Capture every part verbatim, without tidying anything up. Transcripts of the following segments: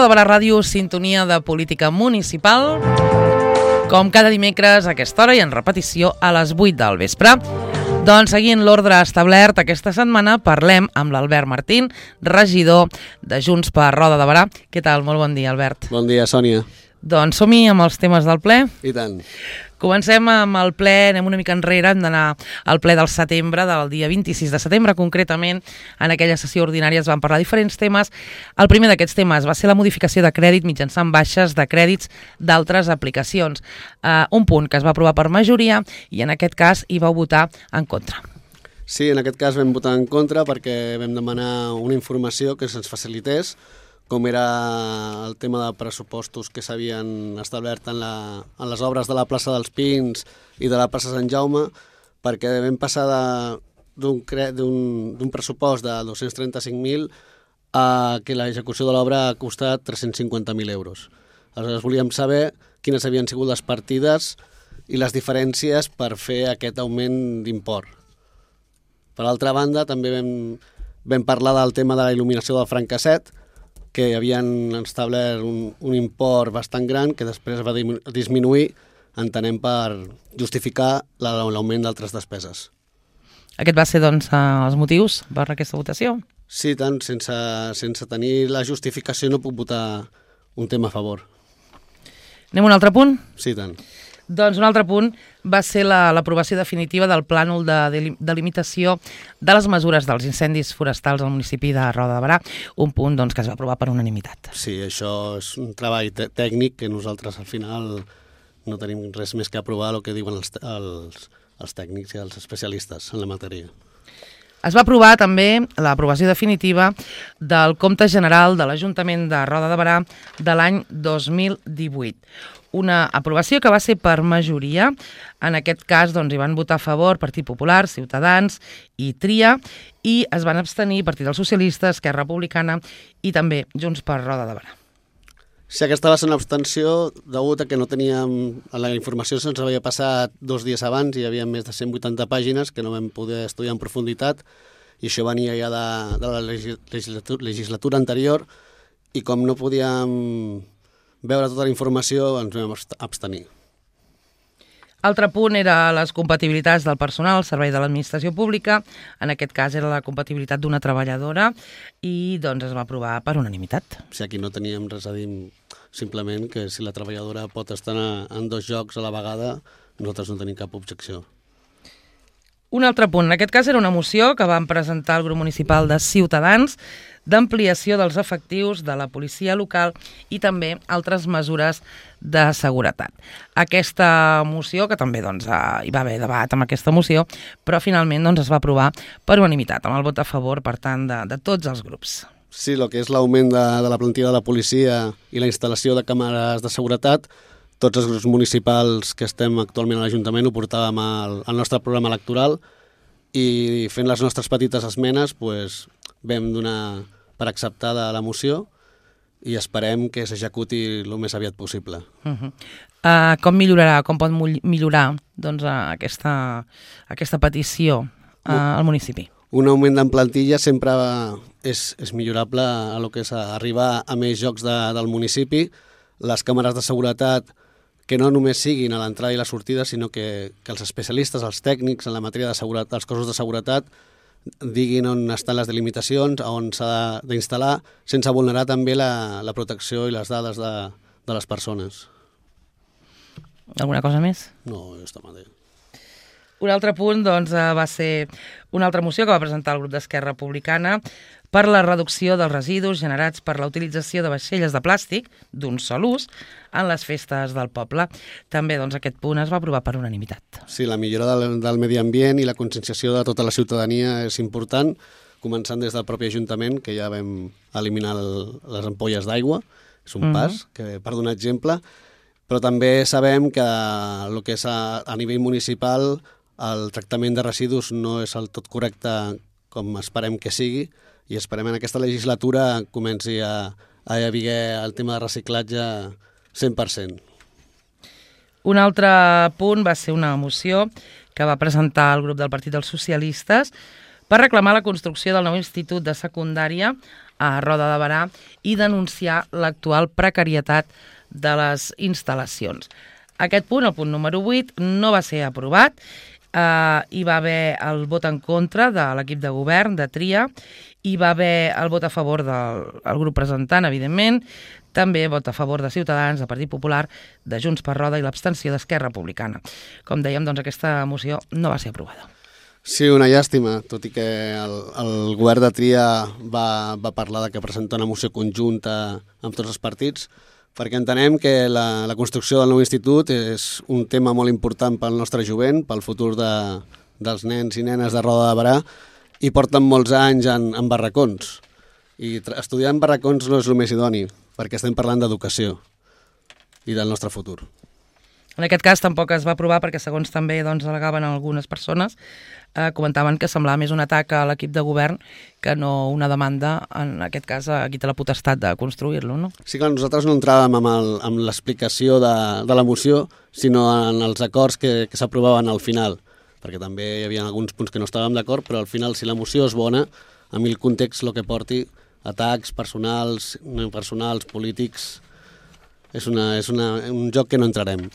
de Barà Ràdio, sintonia de política municipal, com cada dimecres a aquesta hora i en repetició a les vuit del vespre. Doncs seguint l'ordre establert, aquesta setmana parlem amb l'Albert Martín, regidor de Junts per Roda de Barà. Què tal? Molt bon dia, Albert. Bon dia, Sònia. Doncs som-hi amb els temes del ple. I tant. Comencem amb el ple, anem una mica enrere, hem d'anar al ple del setembre, del dia vint-i-sis de setembre, concretament. En aquella sessió ordinària es van parlar de diferents temes. El primer d'aquests temes va ser la modificació de crèdit mitjançant baixes de crèdits d'altres aplicacions. Uh, un punt que es va aprovar per majoria i en aquest cas hi vau votar en contra. Sí, en aquest cas vam votar en contra perquè vam demanar una informació que se'ns facilités, com era el tema de pressupostos que s'havien establert en, la, en les obres de la plaça dels Pins i de la plaça Sant Jaume, perquè vam passar d'un pressupost de dos-cents trenta-cinc mil a que l'execució de l'obra ha costat tres-cents cinquanta mil euros. Aleshores volíem saber quines havien sigut les partides i les diferències per fer aquest augment d'import. Per altra banda, també vam, vam parlar del tema de la il·luminació del Francasset, que havien establert un, un import bastant gran que després va disminuir, entenem, per justificar l'augment d'altres despeses. Aquest va ser, doncs, els motius per aquesta votació? Sí, tant. Sense, sense tenir la justificació no puc votar un tema a favor. Anem a un altre punt? Sí, tant. Doncs un altre punt va ser l'aprovació la, definitiva del plànol de delimitació de les mesures dels incendis forestals al municipi de Roda de Barà, un punt doncs, que es va aprovar per unanimitat. Sí, això és un treball tècnic que nosaltres al final no tenim res més que aprovar el que diuen els, els, els tècnics i els especialistes en la matèria. Es va aprovar també l'aprovació definitiva del compte general de l'Ajuntament de Roda de Barà de l'any dos mil divuit. Una aprovació que va ser per majoria. En aquest cas doncs, hi van votar a favor Partit Popular, Ciutadans i Tria, i es van abstenir Partit dels Socialistes, Esquerra Republicana i també Junts per Roda de Barà. Sí, aquesta va ser una abstenció degut a que no teníem... La informació se'ns havia passat dos dies abans i hi havia més de cent vuitanta pàgines que no vam poder estudiar en profunditat i això venia ja de, de la legislatura, legislatura anterior i com no podíem veure tota la informació ens vam abstenir. Altre punt era les compatibilitats del personal al servei de l'administració pública. En aquest cas era la compatibilitat d'una treballadora i doncs es va aprovar per unanimitat. O sigui, aquí no teníem res a dir, simplement que si la treballadora pot estar en dos llocs a la vegada, nosaltres no tenim cap objecció. Un altre punt, en aquest cas era una moció que van presentar el grup municipal de Ciutadans d'ampliació dels efectius de la policia local i també altres mesures de seguretat. Aquesta moció, que també doncs, hi va haver debat amb aquesta moció, però finalment doncs, es va aprovar per unanimitat, amb el vot a favor, per tant, de, de tots els grups. Sí, el que és l'augment de, de la plantilla de la policia i la instal·lació de càmeres de seguretat, tots els grups municipals que estem actualment a l'Ajuntament ho portàvem al, al nostre programa electoral i fent les nostres petites esmenes pues, vam donar per acceptada la moció i esperem que s'executi el més aviat possible. Uh -huh. uh, com millorarà, com pot millorar doncs, uh, aquesta, aquesta petició uh, al municipi? Un augment en plantilla sempre és, és millorable a lo que és arribar a més llocs de, del municipi. Les càmeres de seguretat que no només siguin a l'entrada i la sortida, sinó que, que els especialistes, els tècnics en la matèria de seguretat, dels cossos de seguretat, diguin on estan les delimitacions, on s'ha d'instal·lar, sense vulnerar també la, la protecció i les dades de, de les persones. Alguna cosa més? No, està mal bé. Un altre punt doncs, va ser una altra moció que va presentar el grup d'Esquerra Republicana per la reducció dels residus generats per la utilització de vaixelles de plàstic d'un sol ús en les festes del poble. També doncs, aquest punt es va aprovar per unanimitat. Sí, la millora del, del medi ambient i la conscienciació de tota la ciutadania és important, començant des del propi Ajuntament, que ja vam eliminar el, les ampolles d'aigua, és un mm-hmm. pas, que, per donar exemple, però també sabem que el que és a, a nivell municipal el tractament de residus no és el tot correcte com esperem que sigui i esperem en aquesta legislatura comenci a, a haver el tema de reciclatge cent per cent. Un altre punt va ser una moció que va presentar el grup del Partit dels Socialistes per reclamar la construcció del nou institut de secundària a Roda de Berà i denunciar l'actual precarietat de les instal·lacions. Aquest punt, el punt número vuit, no va ser aprovat. Uh, hi va haver el vot en contra de l'equip de govern, de Tria, hi va haver el vot a favor del el grup presentant, evidentment, també vot a favor de Ciutadans, de Partit Popular, de Junts per Roda i l'abstenció d'Esquerra Republicana. Com dèiem, doncs aquesta moció no va ser aprovada. Sí, una llàstima, tot i que el, el govern de Tria va, va parlar de que presenta una moció conjunta amb tots els partits, perquè entenem que la, la construcció del nou institut és un tema molt important pel nostre jovent, pel futur de, dels nens i nenes de Roda de Berà, i porten molts anys en, en barracons. I estudiar en barracons no és el més idoni, perquè estem parlant d'educació i del nostre futur. En aquest cas tampoc es va aprovar perquè, segons també doncs, al·legaven algunes persones, eh, comentaven que semblava més un atac a l'equip de govern que no una demanda, en aquest cas, a qui té la potestat de construir-lo, no? Sí, clar, nosaltres no entràvem amb, el, amb l'explicació de, de la moció, sinó en els acords que, que s'aprovaven al final, perquè també hi havia alguns punts que no estàvem d'acord, però al final, si la moció és bona, a mi el context el que porti, atacs personals, no personals, polítics, és, una, és una, un joc que no entrarem.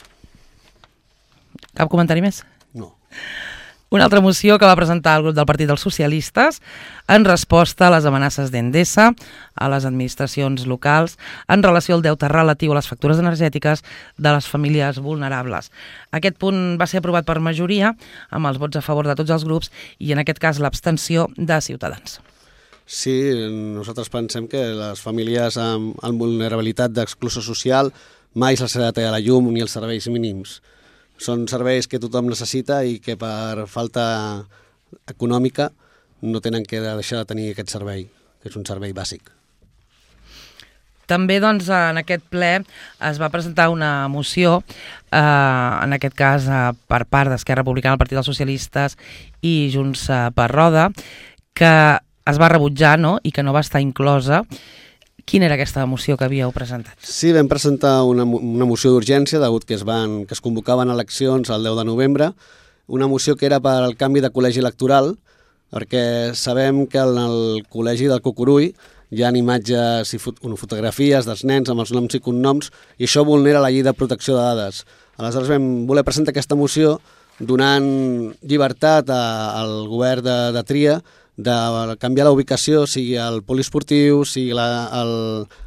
Cap comentari més? No. Una altra moció que va presentar el grup del Partit dels Socialistes en resposta a les amenaces d'Endesa a les administracions locals en relació al deute relatiu a les factures energètiques de les famílies vulnerables. Aquest punt va ser aprovat per majoria, amb els vots a favor de tots els grups i en aquest cas l'abstenció de Ciutadans. Sí, nosaltres pensem que les famílies amb, amb vulnerabilitat d'exclusió social mai se'ls ha de tallar la llum ni els serveis mínims. Són serveis que tothom necessita i que per falta econòmica no tenen que deixar de tenir aquest servei, que és un servei bàsic. També doncs, en aquest ple es va presentar una moció, eh, en aquest cas eh, per part d'Esquerra Republicana, el Partit dels Socialistes i Junts eh, per Roda, que es va rebutjar, no?, i que no va estar inclosa. Quina era aquesta moció que havíeu presentat? Sí, vam presentar una, una moció d'urgència, degut que es, van, que es convocaven eleccions el deu de novembre, una moció que era per al canvi de col·legi electoral, perquè sabem que en el col·legi del Cucurull hi ha imatges i fot fotografies dels nens amb els noms i cognoms, i això vulnera la llei de protecció de dades. Aleshores vam voler presentar aquesta moció donant llibertat a, al govern de, de Tria de canviar la ubicació, sigui el poliesportiu, sigui la, el,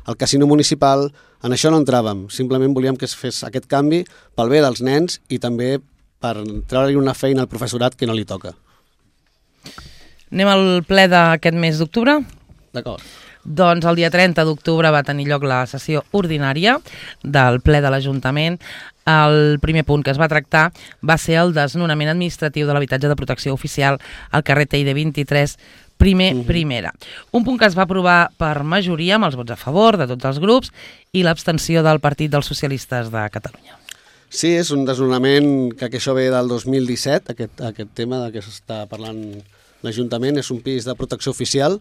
el casino municipal. En això no entràvem, simplement volíem que es fes aquest canvi pel bé dels nens i també per treure-li una feina al professorat que no li toca. Anem al ple d'aquest mes d'octubre? D'acord. Doncs el dia trenta d'octubre va tenir lloc la sessió ordinària del ple de l'Ajuntament. El primer punt que es va tractar va ser el desnonament administratiu de l'habitatge de protecció oficial al carrer Teide vint-i-tres, primer uh -huh. primera. Un punt que es va aprovar per majoria amb els vots a favor de tots els grups i l'abstenció del Partit dels Socialistes de Catalunya. Sí, és un desnonament que, que això ve del dos mil disset, aquest, aquest tema de què s'està parlant l'Ajuntament. És un pis de protecció oficial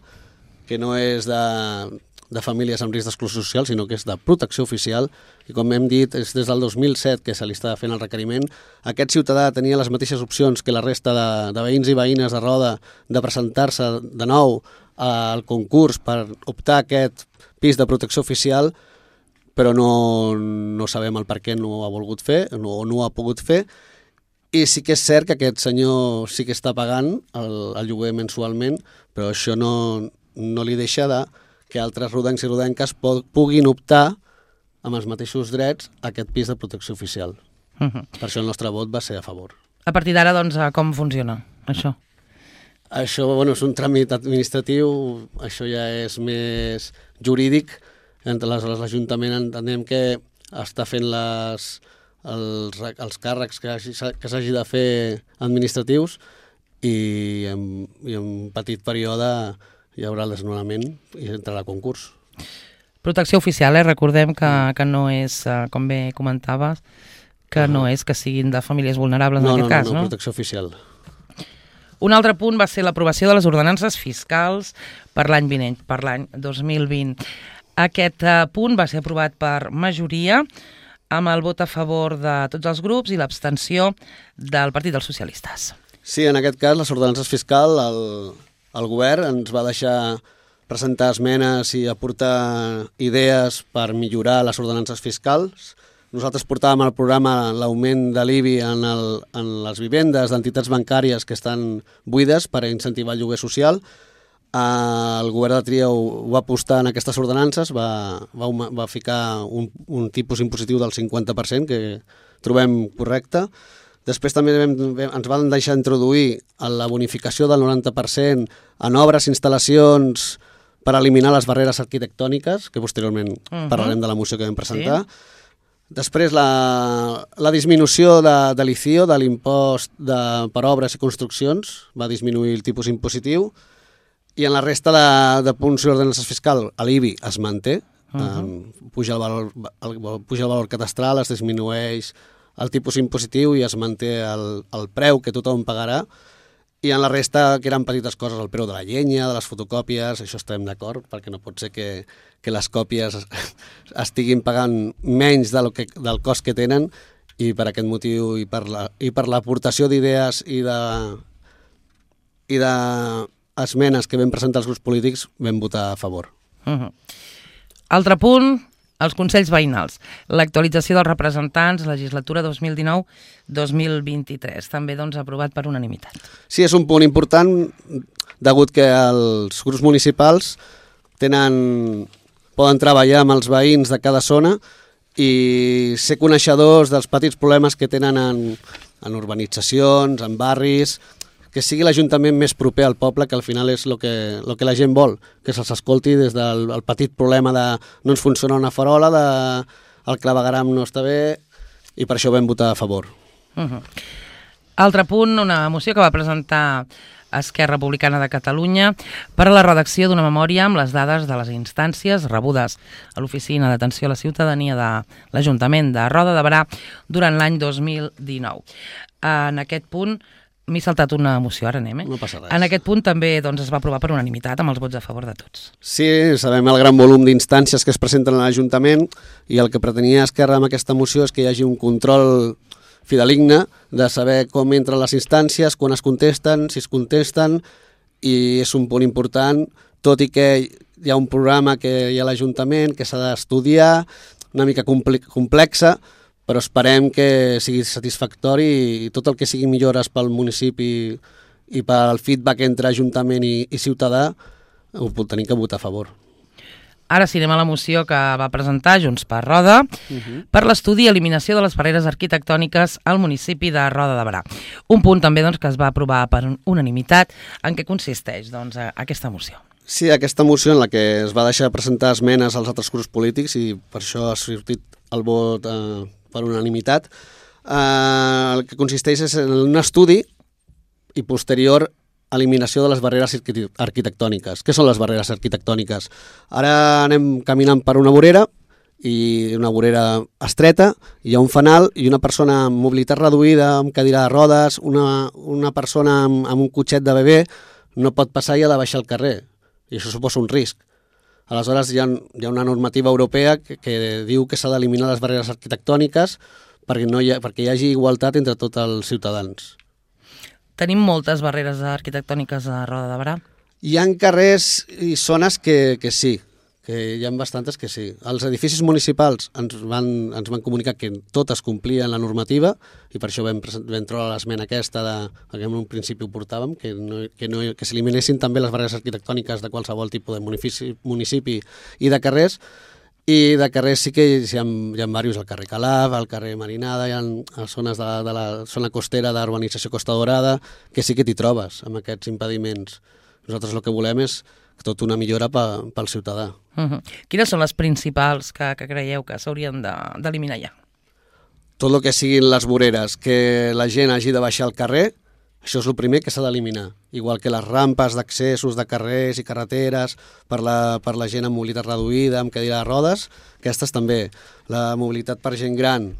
que no és de, de famílies amb risc d'exclusió social, sinó que és de protecció oficial, i com hem dit, és des del dos mil set que se li està fent el requeriment. Aquest ciutadà tenia les mateixes opcions que la resta de, de veïns i veïnes de Roda de presentar-se de nou al concurs per optar a aquest pis de protecció oficial, però no, no sabem el per què no ho ha volgut fer o no, no ho ha pogut fer. I sí que és cert que aquest senyor sí que està pagant el, el lloguer mensualment, però això no, no li deixa de que altres rodencs i rodenques puguin optar amb els mateixos drets a aquest pis de protecció oficial. Uh -huh. Per això el nostre vot va ser a favor. A partir d'ara, doncs, com funciona això? Això, bueno, és un tràmit administratiu, això ja és més jurídic. Aleshores, l'Ajuntament entenem que està fent les, els, els càrrecs que, que s'hagi de fer administratius i en, i en un petit període hi haurà el desnonament i entrarà a concurs. Protecció oficial, eh? Recordem que, que no és, com bé comentaves, que uh -huh. no és que siguin de famílies vulnerables no, en aquest no, cas, no? No, no, protecció oficial. Un altre punt va ser l'aprovació de les ordenances fiscals per l'any vinent, per l'any dos mil vint. Aquest uh, punt va ser aprovat per majoria amb el vot a favor de tots els grups i l'abstenció del Partit dels Socialistes. Sí, en aquest cas, les ordenances fiscals, el, el govern ens va deixar presentar esmenes i aportar idees per millorar les ordenances fiscals. Nosaltres portàvem al programa l'augment de l'I B I en, el, en les vivendes d'entitats bancàries que estan buides per incentivar el lloguer social. El govern de Tria ho va apostar en aquestes ordenances, va, va, va ficar un, un tipus impositiu del cinquanta per cent, que trobem correcte. Després també vam, ens van deixar introduir la bonificació del noranta per cent en obres i instal·lacions per eliminar les barreres arquitectòniques, que posteriorment uh-huh. parlarem de la moció que vam presentar. Sí. Després, la, la disminució de, de l'I C I O, de l'impost de, per obres i construccions, va disminuir el tipus impositiu, i en la resta de, de punts i ordenances fiscals, l'I B I es manté, uh-huh. um, puja, el valor, el, puja el valor catastral, es disminueix el tipus impositiu i es manté el, el preu que tothom pagarà, i en la resta, que eren petites coses, el preu de la llenya, de les fotocòpies, això estem d'acord, perquè no pot ser que, que les còpies estiguin pagant menys del, que, del cost que tenen, i per aquest motiu i per la, i per l'aportació d'idees i de i de esmenes que vam presentar els grups polítics vam votar a favor. Uh-huh. Altre punt, els Consells Veïnals. L'actualització dels representants, legislatura dos mil dinou dos mil vint-i-tres, també doncs aprovat per unanimitat. Sí, és un punt important, degut que els grups municipals tenen, poden treballar amb els veïns de cada zona i ser coneixedors dels petits problemes que tenen en, en urbanitzacions, en barris, que sigui l'Ajuntament més proper al poble, que al final és el que, lo que la gent vol, que se'ls escolti des del el petit problema de no ens funciona una farola, de el clavegaram no està bé, i per això vam votar a favor. Uh-huh. Altre punt, una moció que va presentar Esquerra Republicana de Catalunya per a la redacció d'una memòria amb les dades de les instàncies rebudes a l'Oficina d'Atenció a la Ciutadania de l'Ajuntament de Roda de Berà durant l'any dos mil dinou. En aquest punt m'he saltat una moció, ara anem, eh? No passa res. En aquest punt també doncs, es va aprovar per unanimitat, amb els vots a favor de tots. Sí, sabem el gran volum d'instàncies que es presenten a l'Ajuntament, i el que pretenia Esquerra amb aquesta moció és que hi hagi un control fideligne de saber com entren les instàncies, quan es contesten, si es contesten, i és un punt important, tot i que hi ha un programa que hi ha a l'Ajuntament que s'ha d'estudiar, una mica complexa, però esperem que sigui satisfactori i tot el que sigui millores pel municipi i pel feedback entre Ajuntament i, i ciutadà ho tenim que votar a favor. Ara sí, anem a la moció que va presentar Junts per Roda uh-huh. per l'estudi i eliminació de les barreres arquitectòniques al municipi de Roda de Berà. Un punt també doncs, que es va aprovar per unanimitat. En què consisteix doncs, aquesta moció? Sí, aquesta moció en la que es va deixar presentar esmenes als altres grups polítics i per això ha sortit el vot eh, per unanimitat. Eh, el que consisteix és en un estudi i posterior eliminació de les barreres arquitectòniques. Què són les barreres arquitectòniques? Ara anem caminant per una vorera, i una vorera estreta, hi ha un fanal i una persona amb mobilitat reduïda, amb cadira de rodes, una, una persona amb, amb un cotxet de bebè no pot passar i ha de baixar al carrer, i això suposa un risc. Aleshores hi ha, hi ha una normativa europea que, que diu que s'ha d'eliminar les barreres arquitectòniques perquè, no hi ha, perquè hi hagi igualtat entre tots els ciutadans. Tenim moltes barreres arquitectòniques a Roda de Berà? Hi ha carrers i zones que, que sí, que hi ha bastantes que sí. Els edificis municipals ens van, ens van comunicar que totes complien la normativa i per això vam, vam trobar l'esmena aquesta de, que en un principi ho portàvem, que, no, que, no, que s'eliminessin també les barreres arquitectòniques de qualsevol tipus de municipi, municipi i de carrers. I de carrers sí que hi ha, hi ha diversos, al carrer Calaf, al carrer Marinada, hi ha zones de, de la zona costera d'urbanització Costa Dorada, que sí que t'hi trobes amb aquests impediments. Nosaltres el que volem és tot una millora pel ciutadà. Uh-huh. Quines són les principals que, que creieu que s'haurien d'eliminar ja? Tot el que siguin les voreres, que la gent hagi de baixar al carrer, això és el primer que s'ha d'eliminar. Igual que les rampes d'accessos de carrers i carreteres per la, per la gent amb mobilitat reduïda, amb cadira de rodes, aquestes també. La mobilitat per gent gran,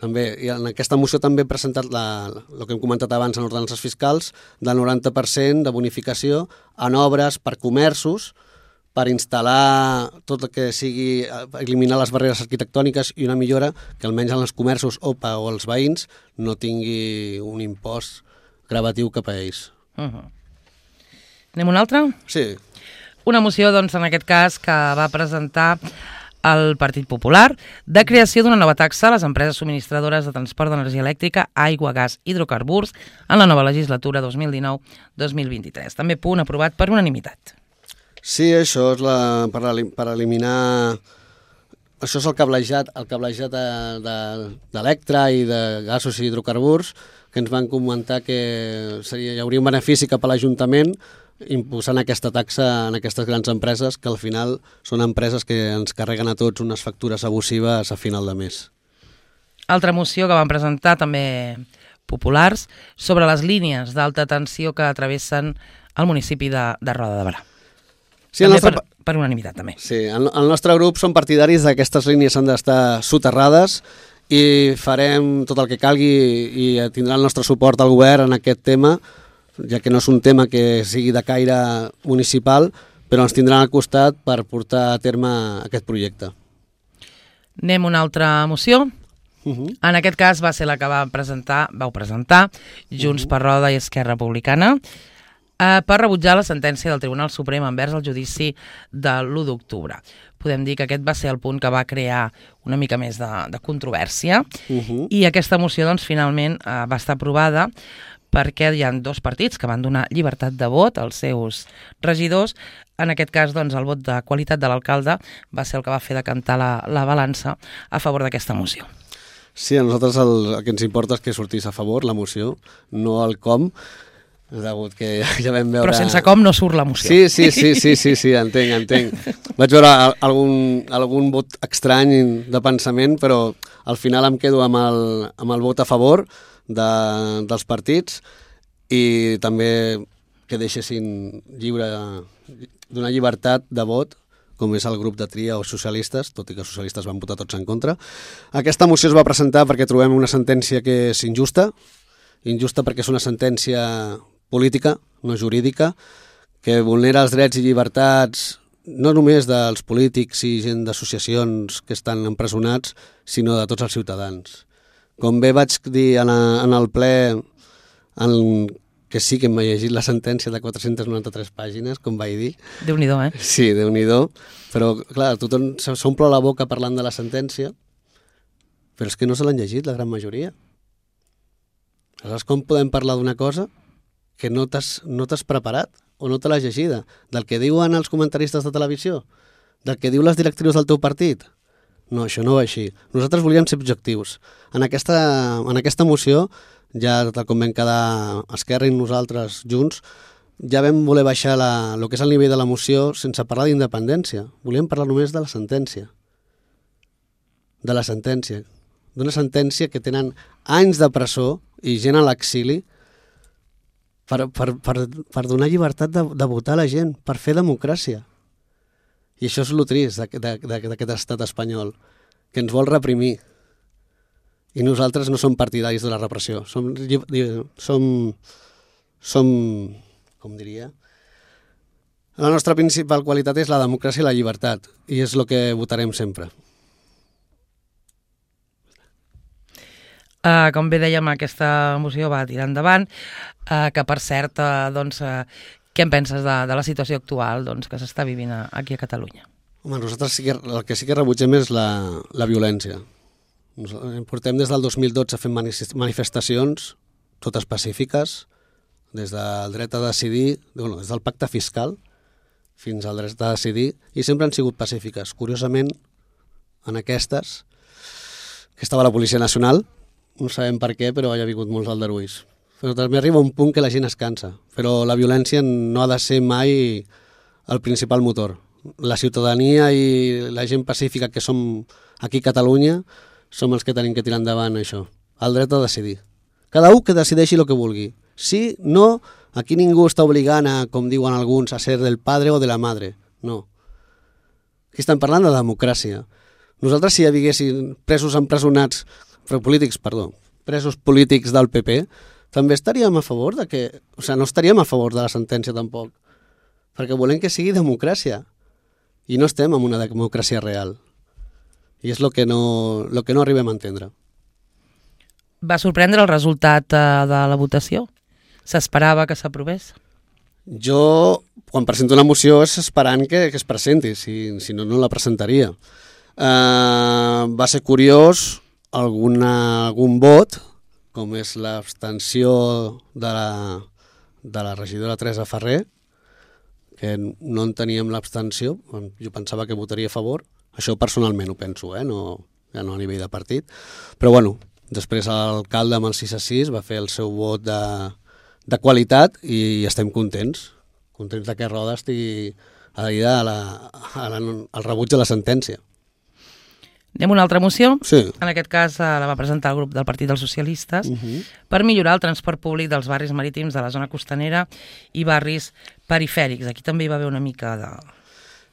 també. I en aquesta moció també he presentat la, el que hem comentat abans en ordenances fiscals, del noranta per cent de bonificació en obres per comerços, per instal·lar tot el que sigui, eliminar les barreres arquitectòniques i una millora que almenys en els comerços o, o els veïns no tingui un impost gravatiu cap a ells. Uh-huh. Anem a una altra? Sí. Una moció, doncs, en aquest cas, que va presentar el Partit Popular, de creació d'una nova taxa a les empreses subministradores de transport d'energia elèctrica, aigua, gas, hidrocarburs, en la nova legislatura dos mil dinou dos mil vint-i-tres. També punt aprovat per unanimitat. Sí, això és la, per, per eliminar... Això és el cablejat, el cablejat d'Electra i de gasos i hidrocarburs, que ens van comentar que seria, hi hauria un benefici cap a l'Ajuntament imposant aquesta taxa en aquestes grans empreses, que al final són empreses que ens carreguen a tots unes factures abusives a final de mes. Altra moció que van presentar també populars sobre les línies d'alta tensió que travessen el municipi de, de Roda de Berà. Sí, també nostre... per, per unanimitat, també. Sí, el, el nostre grup són partidaris d'aquestes línies han d'estar soterrades i farem tot el que calgui i tindrà el nostre suport al govern en aquest tema, ja que no és un tema que sigui de caire municipal, però ens tindran al costat per portar a terme aquest projecte. Anem a una altra moció. Uh -huh. En aquest cas va ser la que va presentar, vau presentar Junts uh -huh. per Roda i Esquerra Republicana eh, per rebutjar la sentència del Tribunal Suprem envers el judici de l'u d'octubre. Podem dir que aquest va ser el punt que va crear una mica més de, de controvèrsia uh -huh. i aquesta moció doncs, finalment eh, va estar aprovada perquè hi ha dos partits que van donar llibertat de vot als seus regidors. En aquest cas, doncs, el vot de qualitat de l'alcalde va ser el que va fer decantar la, la balança a favor d'aquesta moció. Sí, a nosaltres el, el que ens importa és que sortís a favor la moció, no el com, degut que ja vam veure... Però sense com no surt la moció. Sí, sí, sí, sí, sí, sí, entenc, entenc. Vaig veure algun, algun vot estrany de pensament, però al final em quedo amb el, amb el vot a favor de, dels partits i també que deixessin lliure, donar llibertat de vot, com és el grup de tria o socialistes, tot i que els socialistes van votar tots en contra. Aquesta moció es va presentar perquè trobem una sentència que és injusta, injusta perquè és una sentència política, no jurídica, que vulnera els drets i llibertats no només dels polítics i gent d'associacions que estan empresonats, sinó de tots els ciutadans. Com bé vaig dir en, a, en el ple, en, que sí que m'he llegit la sentència de quatre-centes noranta-tres pàgines, com vaig dir. Déu-n'hi-do, eh? Sí, Déu-n'hi-do. Però, clar, tothom s'omple la boca parlant de la sentència, però és que no se l'han llegit, la gran majoria. Aleshores, com podem parlar d'una cosa que no t'has no t'has preparat o no te l'has llegida? Del que diuen els comentaristes de televisió? Del que diu les directrius del teu partit? No, això no va així. Nosaltres volíem ser objectius. En aquesta, en aquesta moció, ja tal com vam quedar Esquerra i nosaltres junts, ja vam voler baixar la, el que és el nivell de la moció sense parlar d'independència. Volíem parlar només de la sentència. De la sentència. D'una sentència que tenen anys de presó i gent a l'exili per, per, per, per donar llibertat de, de votar a la gent, per fer democràcia. I això és el trist d'aquest estat espanyol, que ens vol reprimir. I nosaltres no som partidaris de la repressió. Som, som, som com diria, la nostra principal qualitat és la democràcia i la llibertat, i és el que votarem sempre. Uh, com bé dèiem, aquesta moció va tirar endavant, uh, que per cert, uh, doncs, uh, què en penses de, de la situació actual doncs, que s'està vivint a, aquí a Catalunya? Home, nosaltres sí que, el que sí que rebutgem és la, la violència. Nosaltres portem des del dos mil dotze fent manifestacions, totes pacífiques, des del dret a decidir, bueno, des del pacte fiscal fins al dret a decidir, i sempre han sigut pacífiques. Curiosament, en aquestes, que estava la Policia Nacional, no sabem per què, però hi ha hagut molts aldarulls. Però també arriba un punt que la gent es cansa, però la violència no ha de ser mai el principal motor. La ciutadania i la gent pacífica que som aquí a Catalunya som els que tenim que tirar endavant això, el dret a decidir. Cada un que decideixi el que vulgui. Sí, no, aquí ningú està obligant a, com diuen alguns, a ser del padre o de la madre. No. Aquí estem parlant de democràcia. Nosaltres, si hi haguessin presos empresonats, però polítics, perdó, presos polítics del P P, també estaríem a favor de que... O sigui, no estaríem a favor de la sentència tampoc, perquè volem que sigui democràcia. I no estem en una democràcia real. I és el que no, lo que no arribem a entendre. Va sorprendre el resultat uh, de la votació? S'esperava que s'aprovés? Jo, quan presento una moció, és esperant que, que es presenti, si, si no, no la presentaria. Uh, va ser curiós alguna, algun vot, com és l'abstenció de la, de la regidora Teresa Ferrer, que no en teníem l'abstenció, jo pensava que votaria a favor, això personalment ho penso, eh? no, ja no a nivell de partit, però bueno, després l'alcalde amb el sis a sis va fer el seu vot de, de qualitat i estem contents, contents de que Roda estigui adherida a la, a la, al rebuig de la sentència. Anem a una altra moció. Sí. En aquest cas eh, la va presentar el grup del Partit dels Socialistes Uh -huh. per millorar el transport públic dels barris marítims de la zona costanera i barris perifèrics. Aquí també hi va haver una mica de...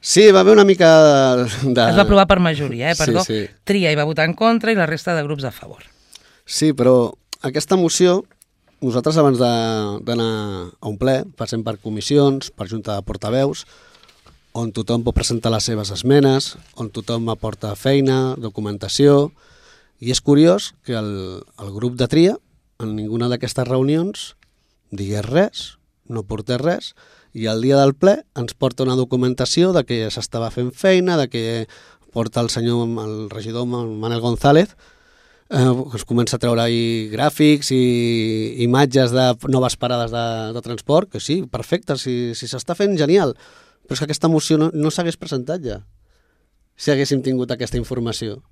Sí, va haver una mica de... Es va aprovar per majoria, eh? Perdó. Sí, sí. Tria hi va votar en contra i la resta de grups a favor. Sí, però aquesta moció, nosaltres abans d'anar a un ple, passem per comissions, per junta de portaveus, on tothom pot presentar les seves esmenes, on tothom aporta feina, documentació, i és curiós que el, el grup de tria, en ninguna d'aquestes reunions, digués res, no portés res, i el dia del ple ens porta una documentació de que s'estava fent feina, de que porta el senyor, el regidor Manel González, eh, es comença a treure ahí gràfics i imatges de noves parades de, de transport, que sí, perfecte, si s'està si fent, genial, però és que aquesta moció no, no s'hagués presentat ja, si haguéssim tingut aquesta informació.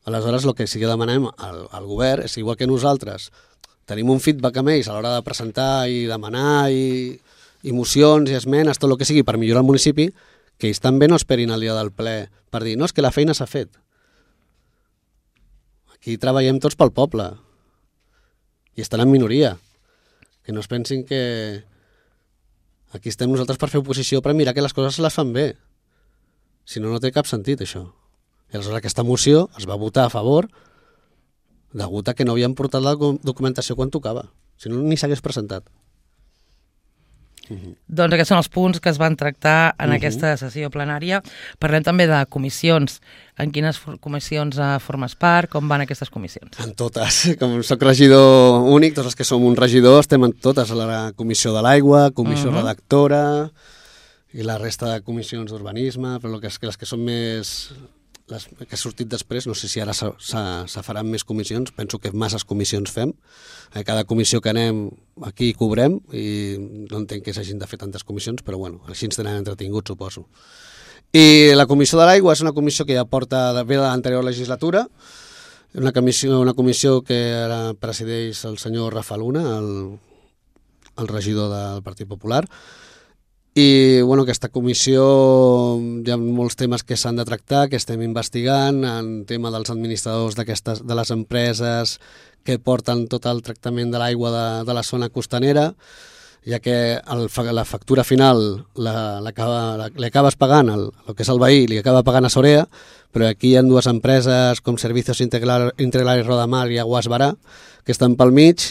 Aleshores, el que sí que demanem al, al govern és, igual que nosaltres, tenim un feedback amb ells a l'hora de presentar i demanar i, i mocions i esmenes, tot el que sigui per millorar el municipi, que ells també no esperin el dia del ple per dir, no, és que la feina s'ha fet. Aquí treballem tots pel poble i estan en minoria. Que no es pensin que aquí estem nosaltres per fer oposició, per mirar que les coses se les fan bé. Si no, no té cap sentit, això. I aleshores aquesta moció es va votar a favor degut a que no havien portat la documentació quan tocava. Si no, ni s'hagués presentat. Uh-huh. Doncs aquests són els punts que es van tractar en uh-huh. aquesta sessió plenària. Parlem també de comissions. En quines comissions formes part? Com van aquestes comissions? En totes. Com soc regidor únic, tots els que som un regidor estem en totes. A la comissió de l'aigua, comissió uh-huh. redactora i la resta de comissions d'urbanisme, però les que, les que són més... les que ha sortit després, no sé si ara se, se, se faran més comissions, penso que masses comissions fem, a cada comissió que anem aquí cobrem i no entenc que s'hagin de fer tantes comissions, però bueno, així ens tenen entretinguts, suposo. I la comissió de l'aigua és una comissió que ja porta de bé de l'anterior legislatura, una comissió, una comissió que ara presideix el senyor Rafa Luna, el, el regidor del Partit Popular. I bueno, aquesta comissió hi ha molts temes que s'han de tractar, que estem investigant, en tema dels administradors d'aquestes de les empreses que porten tot el tractament de l'aigua de, de la zona costanera, ja que el, la factura final la, la, la, li acabes pagant, el, el que és el veí, li acaba pagant a Sorea, però aquí hi ha dues empreses com Servicios Integrales Rodamar i Aguas Barà, que estan pel mig,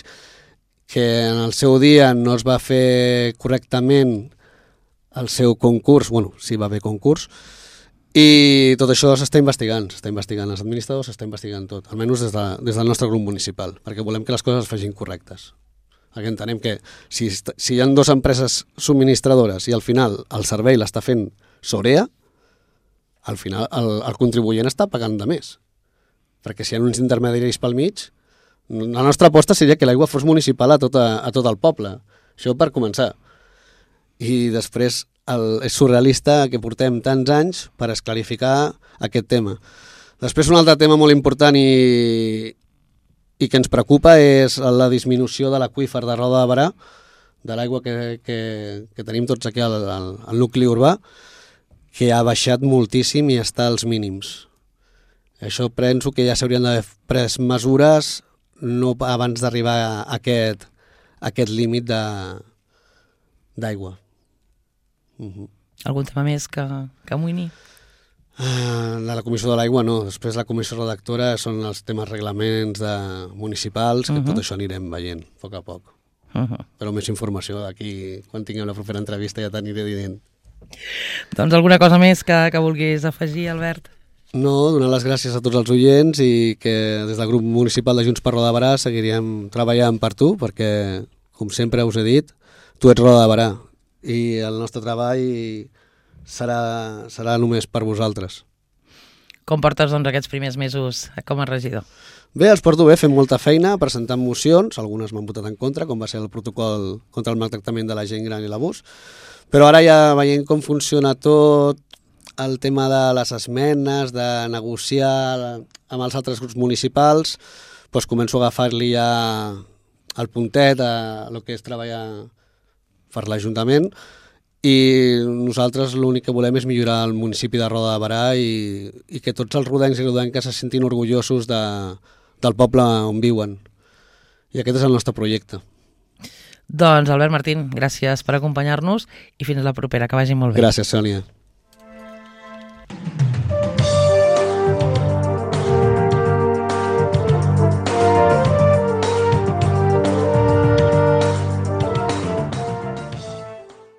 que en el seu dia no es va fer correctament el seu concurs, bueno, sí va haver concurs, i tot això s'està investigant, s'està investigant els administradors, s'està investigant tot, almenys des, de, des del nostre grup municipal, perquè volem que les coses es facin correctes. Perquè entenem que si, si hi ha dues empreses subministradores i al final el servei l'està fent Sorea, al final el, el contribuent està pagant de més. Perquè si hi ha uns intermediaris pel mig, la nostra aposta seria que l'aigua fos municipal a tot, a, a tot el poble. Això per començar. I després el, és surrealista que portem tants anys per esclarificar aquest tema. Després un altre tema molt important i, i que ens preocupa és la disminució de l'aqüífer de Roda de Barà, de l'aigua que, que, que tenim tots aquí al, al, al nucli urbà, que ha baixat moltíssim i està als mínims. Això penso que ja s'haurien d'haver pres mesures no abans d'arribar a aquest, a aquest límit d'aigua. Uh-huh. Algun tema més que, que amoïni? Uh, la, la comissió de l'aigua no, després la comissió redactora són els temes reglaments de municipals, que uh-huh. tot això anirem veient a poc a poc. Uh-huh. Però més informació d'aquí, quan tinguem la propera entrevista ja t'aniré dient. Doncs alguna cosa més que, que vulguis afegir, Albert? No, donar les gràcies a tots els oients i que des del grup municipal de Junts per Roda de Barà seguiríem treballant per tu, perquè, com sempre us he dit, tu ets Roda de Berà i el nostre treball serà, serà només per vosaltres. Com portes doncs, aquests primers mesos com a regidor? Bé, els porto bé, fem molta feina, presentant mocions, algunes m'han votat en contra, com va ser el protocol contra el maltractament de la gent gran i l'abús, però ara ja veient com funciona tot, el tema de les esmenes, de negociar amb els altres grups municipals, doncs començo a agafar-li ja el puntet a el que és treballar per l'Ajuntament, i nosaltres l'únic que volem és millorar el municipi de Roda de Berà i, i que tots els rodencs i rodenques se sentin orgullosos de, del poble on viuen. I aquest és el nostre projecte. Doncs Albert Martín, gràcies per acompanyar-nos i fins la propera, que vagi molt bé. Gràcies, Sònia.